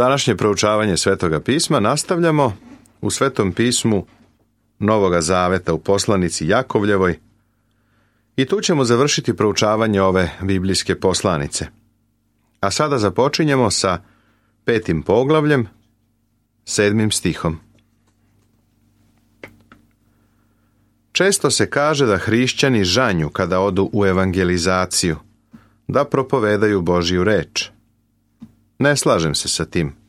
Današnje proučavanje Svetoga pisma nastavljamo u Svetom pismu Novoga Zaveta u poslanici Jakovljevoj i tu ćemo završiti proučavanje ove biblijske poslanice. A sada započinjemo sa 5. poglavljem, 7. stihom. Često se kaže da hrišćani žanju kada odu u evangelizaciju, da propovedaju Božju reč. Ne slažem se sa tim.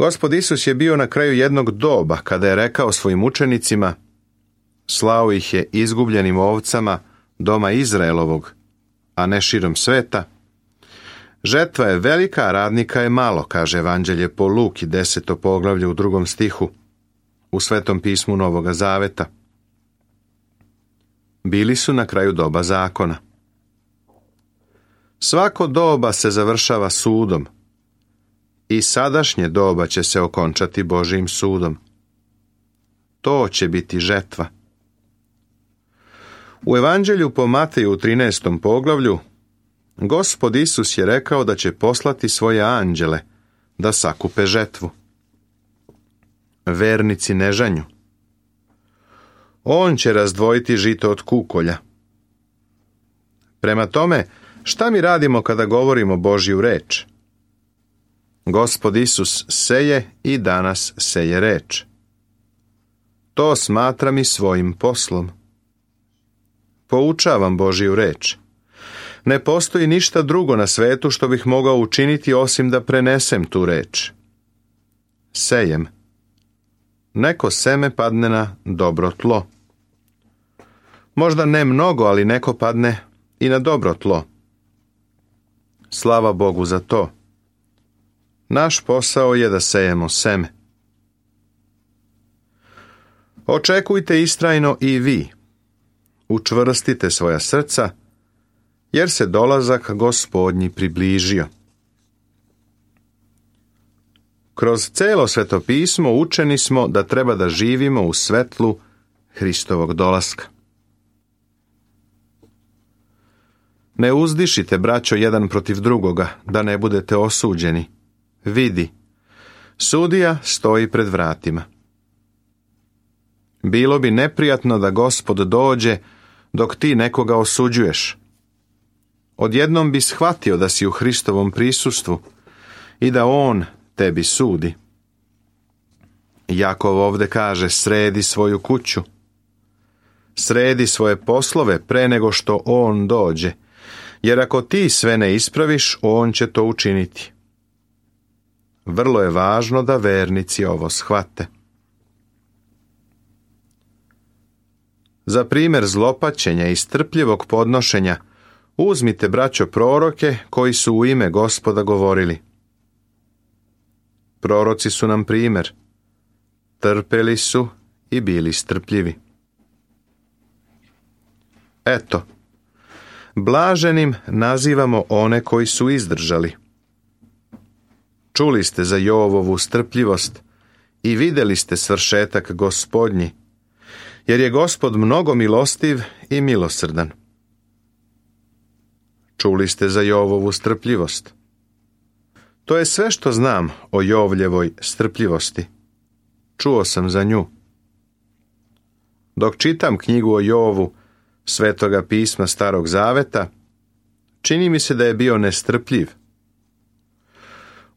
Gospod Isus je bio na kraju jednog doba kada je rekao svojim učenicima, slao ih je izgubljenim ovcama doma Izraelovog, a ne širom sveta. Žetva je velika, a radnika je malo, kaže Evanđelje po Luki 10. poglavlje u 2. stihu u Svetom pismu Novoga Zaveta. Bili su na kraju doba zakona. Svako doba se završava sudom i sadašnje doba će se okončati Božjim sudom. To će biti žetva. U Evanđelju po Mateju u 13. poglavlju Gospod Isus je rekao da će poslati svoje anđele da sakupe žetvu. Vernici ne žanju. On će razdvojiti žito od kukolja. Prema tome, šta mi radimo kada govorimo Božju reč? Gospod Isus seje i danas seje reč. To smatram i svojim poslom. Poučavam Božju reč. Ne postoji ništa drugo na svetu što bih mogao učiniti osim da prenesem tu reč. Sejem. Neko seme padne na dobro tlo. Možda ne mnogo, ali neko padne i na dobro tlo. Slava Bogu za to. Naš posao je da sejemo seme. Očekujte istrajno i vi. Učvrstite svoja srca, jer se dolazak Gospodnji približio. Kroz celo Sveto pismo učeni smo da treba da živimo u svetlu Hristovog dolaska. Ne uzdišite, braćo, jedan protiv drugoga, da ne budete osuđeni. Vidi, sudija stoji pred vratima. Bilo bi neprijatno da Gospod dođe dok ti nekoga osuđuješ. Odjednom bi shvatio da si u Hristovom prisustvu i da On tebi sudi. Jakov ovde kaže, sredi svoju kuću. Sredi svoje poslove pre nego što On dođe, jer ako ti sve ne ispraviš, On će to učiniti. Vrlo je važno da vernici ovo shvate. Za primjer zlopaćenja i strpljivog podnošenja uzmite, braćo, proroke koji su u ime Gospoda govorili. Proroci su nam primjer. Trpeli su i bili strpljivi. Eto, blaženim nazivamo one koji su izdržali. Čuli ste za Jovovu strpljivost i vidjeli ste svršetak Gospodnji, jer je Gospod mnogo milostiv i milosrdan. Čuli ste za Jovovu strpljivost. To je sve što znam o Jovljevoj strpljivosti. Čuo sam za nju. Dok čitam knjigu o Jovu Svetoga pisma Starog Zaveta, čini mi se da je bio nestrpljiv.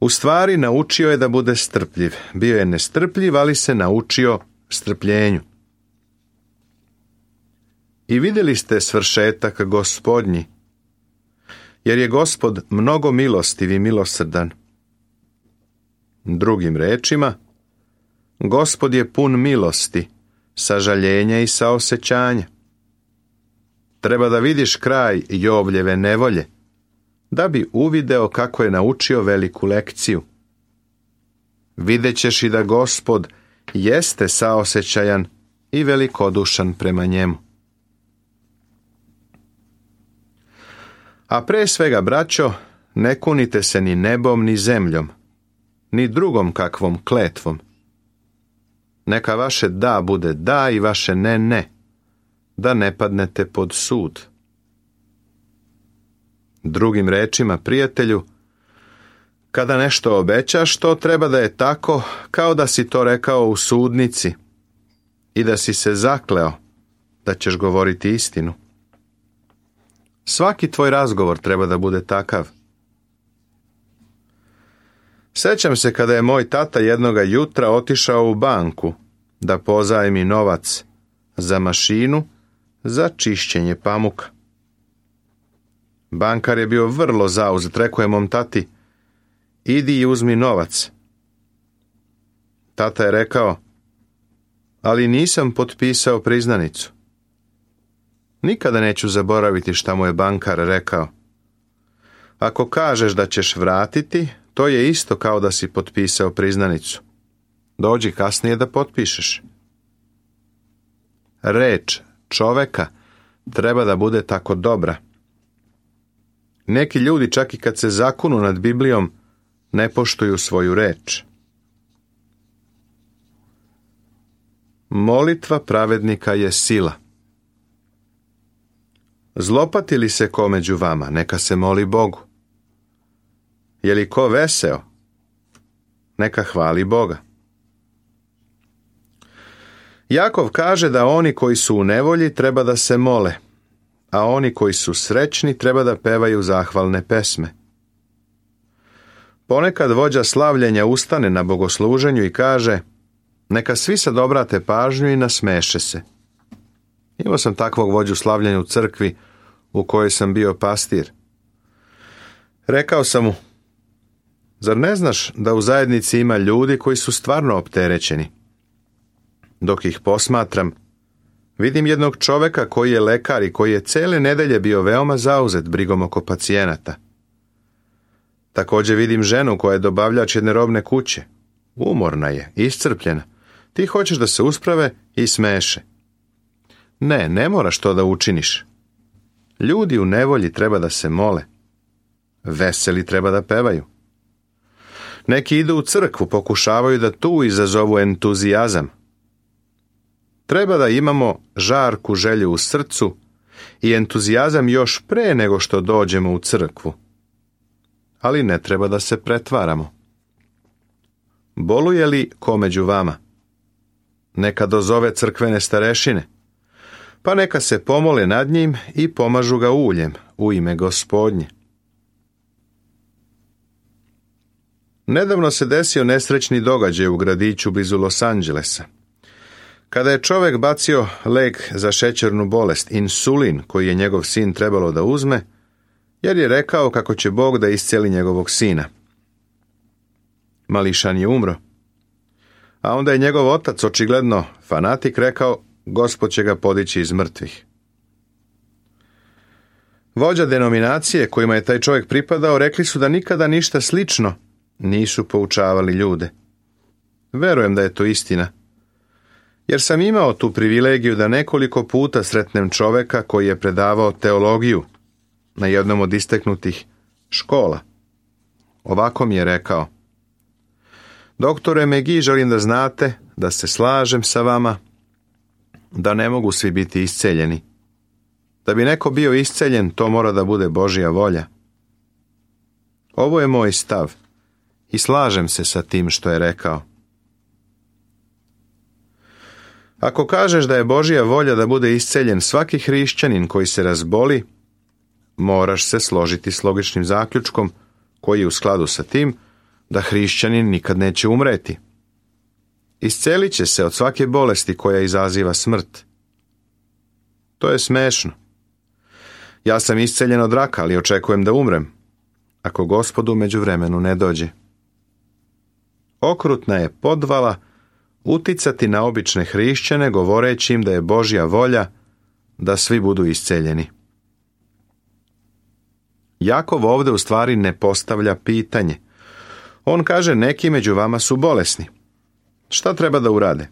U stvari naučio je da bude strpljiv. Bio je nestrpljiv, ali se naučio strpljenju. I vidjeli ste svršetak Gospodnji, jer je Gospod mnogo milostiv i milosrdan. Drugim rečima, Gospod je pun milosti, sažaljenja i saosećanja. Treba da vidiš kraj Jovljeve nevolje, da bi uvideo kako je naučio veliku lekciju. Vidjet ćeš i da Gospod jeste saosećajan i velikodušan prema njemu. A pre svega, braćo, ne kunite se ni nebom ni zemljom, ni drugom kakvom kletvom. Neka vaše da bude da i vaše ne ne, da ne padnete pod sud. Drugim rečima, prijatelju, Kada nešto obećaš, to treba da je tako kao da si to rekao u sudnici i da si se zakleo da ćeš govoriti istinu. Svaki tvoj razgovor treba da bude takav. Sećam se kada je moj tata jednoga jutra otišao u banku da pozajmi novac za mašinu za čišćenje pamuka. Bankar je bio vrlo zauzet, rekao je mom tati: idi i uzmi novac. Tata je rekao: ali nisam potpisao priznanicu. Nikada neću zaboraviti šta mu je bankar rekao: ako kažeš da ćeš vratiti, to je isto kao da si potpisao priznanicu. Dođi kasnije da potpišeš. Reč čoveka treba da bude tako dobra. Neki ljudi čak i kad se zakunu nad Biblijom ne poštuju svoju reč. Molitva pravednika je sila. Zlopati li se ko među vama, neka se moli Bogu. Je li ko veseo, neka hvali Boga. Jakov kaže da oni koji su u nevolji treba da se mole, a oni koji su srećni treba da pevaju zahvalne pesme. Ponekad vođa slavljenja ustane na bogosluženju i kaže: neka svi sad obrate pažnju i nasmeše se. Imao sam takvog vođu slavljenja u crkvi u kojoj sam bio pastir. Rekao sam mu: zar ne znaš da u zajednici ima ljudi koji su stvarno opterećeni? Dok ih posmatram, vidim jednog čoveka koji je lekar i koji je cele nedelje bio veoma zauzet brigom oko pacijenata. Također vidim ženu koja je dobavljač jedne robne kuće. Umorna je, iscrpljena. Ti hoćeš da se usprave i smeše. Ne moraš to da učiniš. Ljudi u nevolji treba da se mole. Veseli treba da pevaju. Neki idu u crkvu, pokušavaju da tu izazovu entuzijazam. Treba da imamo žarku želju u srcu i entuzijazam još pre nego što dođemo u crkvu. Ali ne treba da se pretvaramo. Boluje li ko među vama? Neka dozove crkvene starešine, pa neka se pomole nad njim i pomažu ga uljem u ime Gospodnje. Nedavno se desio nesrećni događaj u gradiću blizu Los Angelesa. Kada je čovjek bacio lek za šećernu bolest, insulin, koji je njegov sin trebalo da uzme, jer je rekao kako će Bog da iscijeli njegovog sina. Mališan je umro. A onda je njegov otac, očigledno fanatik, rekao: Gospod će ga podići iz mrtvih. Vođa denominacije kojima je taj čovjek pripadao rekli su da nikada ništa slično nisu poučavali ljude. Verujem da je to istina, jer sam imao tu privilegiju da nekoliko puta sretnem čovjeka koji je predavao teologiju na jednom od isteknutih škola. Ovako mi je rekao: doktore Megi, želim da znate da se slažem sa vama, da ne mogu svi biti isceljeni. Da bi neko bio isceljen, to mora da bude Božja volja. Ovo je moj stav i slažem se sa tim što je rekao. Ako kažeš da je Božja volja da bude isceljen svaki hrišćanin koji se razboli, moraš se složiti s logičnim zaključkom koji je u skladu sa tim da hrišćanin nikad neće umreti. Iscelit će se od svake bolesti koja izaziva smrt. To je smešno. Ja sam isceljen od raka, ali očekujem da umrem, ako Gospod u međuvremenu ne dođe. Okrutna je podvala uticati na obične hrišćane govoreći im da je Božja volja da svi budu isceljeni. Jakov ovdje u stvari ne postavlja pitanje. On kaže: neki među vama su bolesni. Šta treba da urade?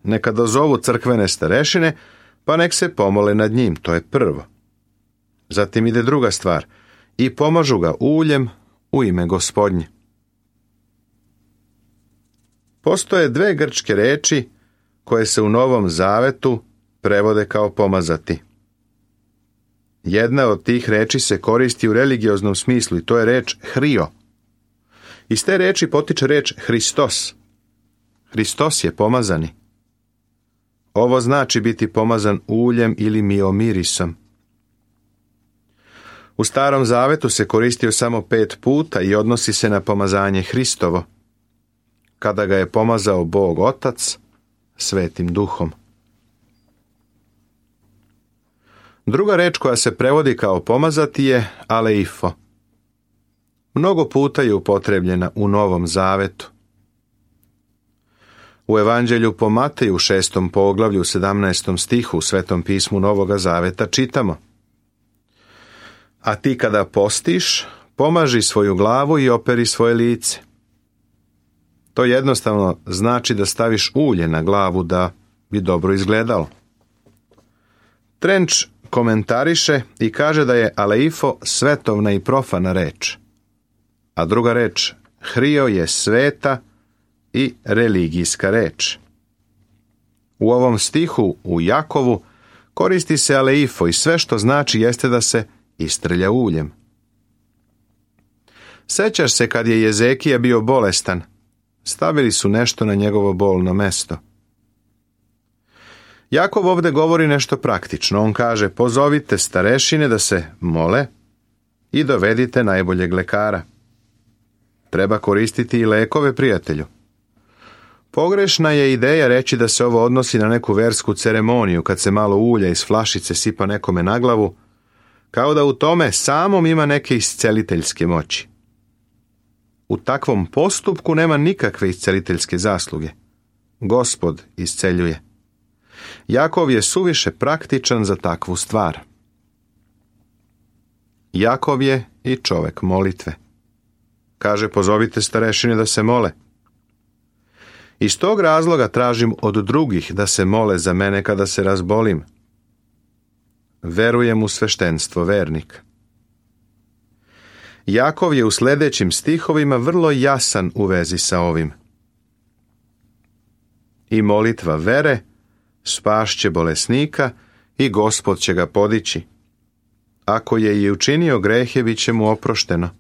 Neka dozovu crkvene starešine, pa nek se pomole nad njim, to je prvo. Zatim ide druga stvar: i pomažu ga uljem u ime Gospodnje. Postoje dve grčke reči koje se u Novom Zavetu prevode kao pomazati. Jedna od tih reči se koristi u religioznom smislu i to je reč hrio, Iz te reči potiče reč Hristos. Hristos je pomazani. Ovo znači biti pomazan uljem ili miomirisom. U Starom Zavetu se koristio samo 5 puta i odnosi se na pomazanje Hristovo, kada ga je pomazao Bog Otac Svetim Duhom. Druga reč koja se prevodi kao pomazati je aleifo. Mnogo puta je upotrebljena u Novom Zavetu. U Evanđelju po Mateju 6. poglavlju 17. stihu u Svetom pismu Novoga Zaveta čitamo: A ti kada postiš, pomaži svoju glavu i operi svoje lice. To jednostavno znači da staviš ulje na glavu da bi dobro izgledalo. Trenč komentariše i kaže da je aleifo svetovna i profana reč, a druga reč hrio je sveta i religijska reč. U ovom stihu u Jakovu koristi se aleifo i sve što znači jeste da se istrlja uljem. Sećaš se kad je Jezekija bio bolestan, stavili su nešto na njegovo bolno mesto. Jakov ovdje govori nešto praktično. On kaže: pozovite starešine da se mole i dovedite najboljeg lekara. Treba koristiti i lekove, prijatelju. Pogrešna je ideja reći da se ovo odnosi na neku versku ceremoniju, kad se malo ulja iz flašice sipa nekome na glavu, kao da u tome samom ima neke isceliteljske moći. U takvom postupku nema nikakve isceliteljske zasluge. Gospod isceljuje. Jakov je suviše praktičan za takvu stvar. Jakov je i čovek molitve. Kaže: pozovite starešine da se mole. Iz tog razloga tražim od drugih da se mole za mene kada se razbolim. Verujem u sveštenstvo vernika. Jakov je u sljedećim stihovima vrlo jasan u vezi sa ovim. I molitva vere spašće bolesnika i Gospod će ga podići. Ako je i učinio grehe, bit će mu oprošteno.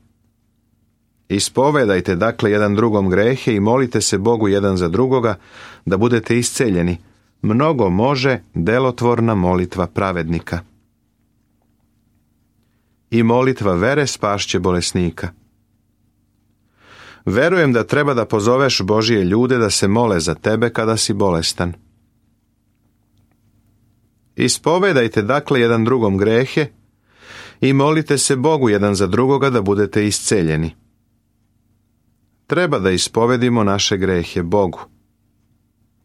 Ispovedajte dakle jedan drugom grehe i molite se Bogu jedan za drugoga da budete isceljeni. Mnogo može delotvorna molitva pravednika. I molitva vere spašće bolesnika. Verujem da treba da pozoveš Božije ljude da se mole za tebe kada si bolestan. Ispovedajte dakle jedan drugom grehe i molite se Bogu jedan za drugoga da budete isceljeni. Treba da ispovedimo naše grehe Bogu,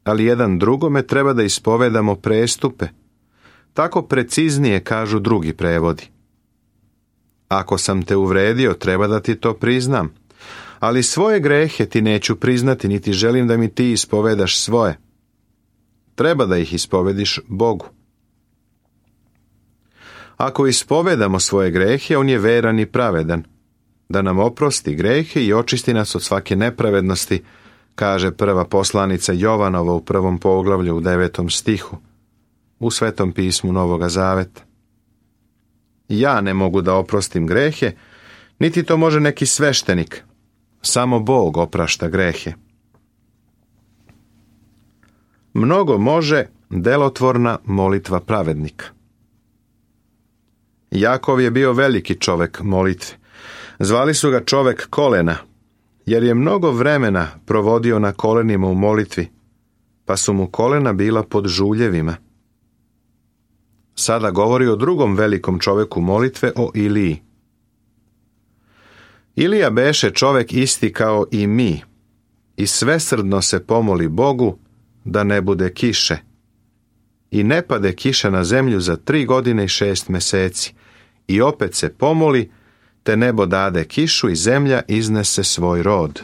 ali jedan drugome treba da ispovedamo prestupe. Tako preciznije kažu drugi prevodi. Ako sam te uvredio, treba da ti to priznam, ali svoje grehe ti neću priznati, niti želim da mi ti ispovedaš svoje. Treba da ih ispovediš Bogu. Ako ispovedamo svoje grehe, on je veran i pravedan, da nam oprosti grehe i očisti nas od svake nepravednosti, kaže prva poslanica Jovanova u 1. poglavlju u 9. stihu, u Svetom pismu Novoga Zaveta. Ja ne mogu da oprostim grehe, niti to može neki sveštenik. Samo Bog oprašta grehe. Mnogo može delotvorna molitva pravednika. Jakov je bio veliki čovek molitve. Zvali su ga čovek kolena, jer je mnogo vremena provodio na kolenima u molitvi, pa su mu kolena bila pod žuljevima. Sada govori o drugom velikom čoveku molitve, o Iliji. Ilija beše čovek isti kao i mi i svesrdno se pomoli Bogu da ne bude kiše. I ne pade kiša na zemlju za 3 godine i 6 meseci. I opet se pomoli, te nebo dade kišu i zemlja iznese svoj rod.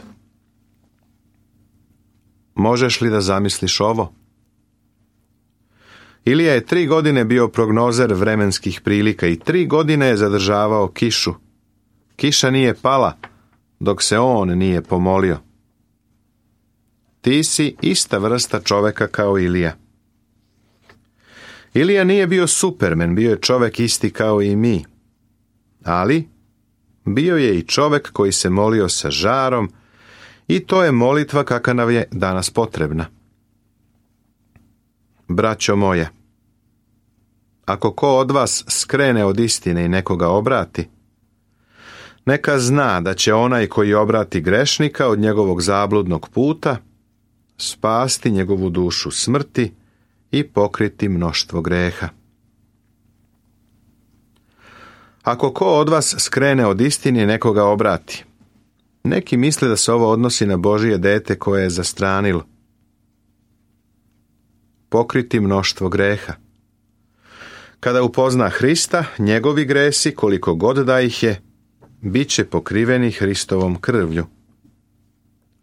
Možeš li da zamisliš ovo? Ilija je 3 godine bio prognozer vremenskih prilika i 3 godine je zadržavao kišu. Kiša nije pala dok se on nije pomolio. Ti si ista vrsta čoveka kao Ilija. Ilija nije bio supermen, bio je čovek isti kao i mi. Ali bio je i čovek koji se molio sa žarom I to je molitva kakva nam je danas potrebna. Braćo moje, ako ko od vas skrene od istine i nekoga obrati, neka zna da će onaj koji obrati grešnika od njegovog zabludnog puta spasti njegovu dušu smrti i pokriti mnoštvo greha. Ako ko od vas skrene od istine i nekoga obrati, neki misle da se ovo odnosi na Božije dete koje je zastranilo. Pokriti mnoštvo greha. Kada upozna Hrista, njegovi gresi, koliko god da ih je, bit će pokriveni Hristovom krvlju.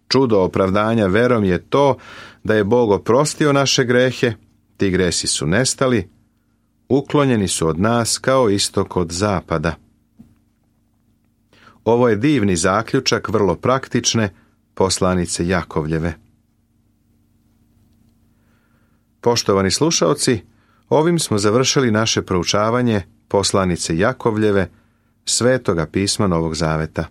Čudo opravdanja verom je to da je Bog oprostio naše grehe, ti gresi su nestali, uklonjeni su od nas kao istok od zapada. Ovo je divni zaključak vrlo praktične poslanice Jakovljeve. Poštovani slušaoci, ovim smo završili naše proučavanje poslanice Jakovljeve, Svetoga pisma Novog Zaveta.